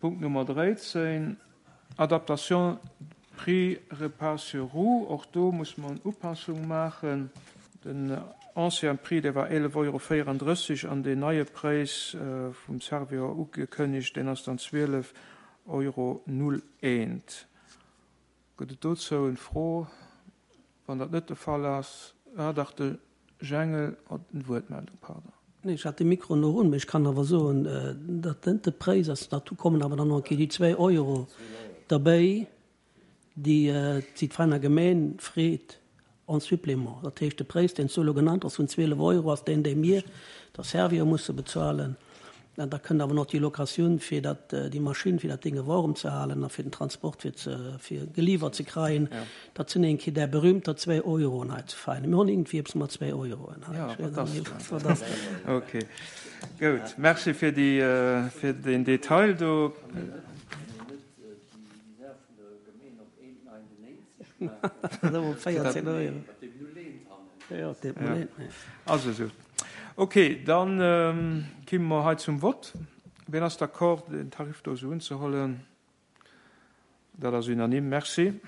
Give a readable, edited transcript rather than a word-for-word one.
Punkt Nummer 13, Adaptation prix repas sur roues. Och do muss mer en Upassung maachen. Den ancien Prix, dee war 11,34 Euro an deen neie Präis, vum Servior ugekënnegt, deen ass dann 12,01 Euro. Gëtt et dozou en Fro? Wann dat net de Fall ass, ah dach, de Jengel hat en Wuertmeldung, pardon. Nee, ech hat de Mikro nach un, mee ech kann awer soen, datt net de Präis ass. Dazu kommen awer dann noch eng Kéier déi zwéi Euro derbäi, déi d'Veiner Gemeng freet en supplément. Dat heescht, de Präis, deen s du elo genannt has vun 12 Euro, ass deen, dee mir der Servior musse bezuelen. An da kënnt awer nach déi Locatioun fir dat, déi Maschinn, fir dat Ding ewarm ze halen a fir den Transport fir ze, fir geliwwert ze kreien. Dat sinn eng Kéier där berühmter zwéi Euroen hei zu Veinen. Mir hunn iergendwéi eppes mat zwéi Euroen hei. Ja, wat ass dat? Wat ass dat? Okay, goud. Merci fir déi, fir deen Detail do. Also esou. Ok, dann kimme mer hei zum Vott. Wien ass d'accord, den Tarif do esou unzehollen? Dat ass unanime. Merci.